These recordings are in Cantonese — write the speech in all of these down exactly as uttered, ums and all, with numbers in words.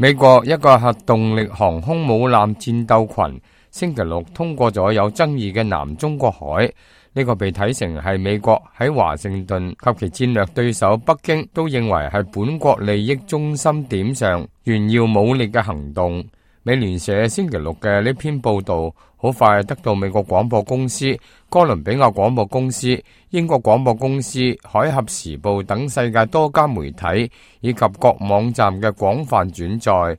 美國一個核動力航空母艦戰鬥群星期六通過咗有爭議嘅南中國海，呢個被睇成係美國喺華盛頓及其戰略對手北京都認為係本國利益中心點上炫耀武力嘅行動。美聯社星期六嘅呢篇報道好快得到美國廣播公司、哥倫比亞廣播公司、英國廣播公司、海峽時報等世界多家媒體以及各網站嘅廣泛轉載。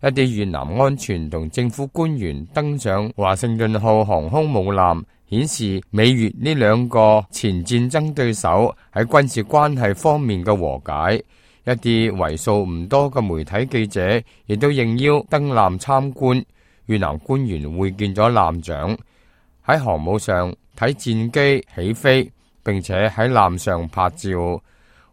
一啲越南安全同政府官員登上華盛頓號航空母艦，顯示美越呢兩個前戰爭對手喺軍事關係方面嘅和解。一啲為數唔多嘅媒體記者亦都應邀登艦參觀。越南官員會見咗艦長，喺航母上睇戰機起飛，並且喺艦上拍照。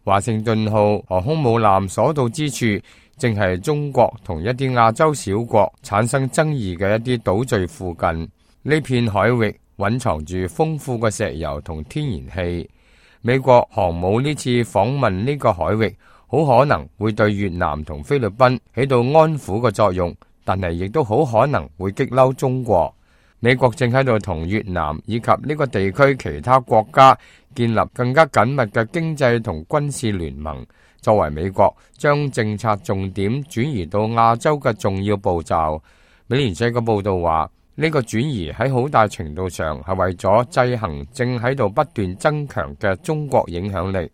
華盛頓號航空母艦所到之處，正係中國同一啲亞洲小國產生爭議嘅一啲島嶼附近。呢片海域蘊藏住豐富嘅石油同天然氣。美國航母呢次訪問呢個海域，好可能會對越南同菲律賓起到安撫嘅作用，但係亦都好可能會激嬲中國。美國正喺度同越南以及呢個地區其他國家建立更加緊密嘅經濟同軍事聯盟，作為美國將政策重點轉移到亞洲嘅重要步驟。美聯社嘅報道話，呢個轉移喺好大程度上係為咗制衡正喺度不斷增強嘅中國影響力。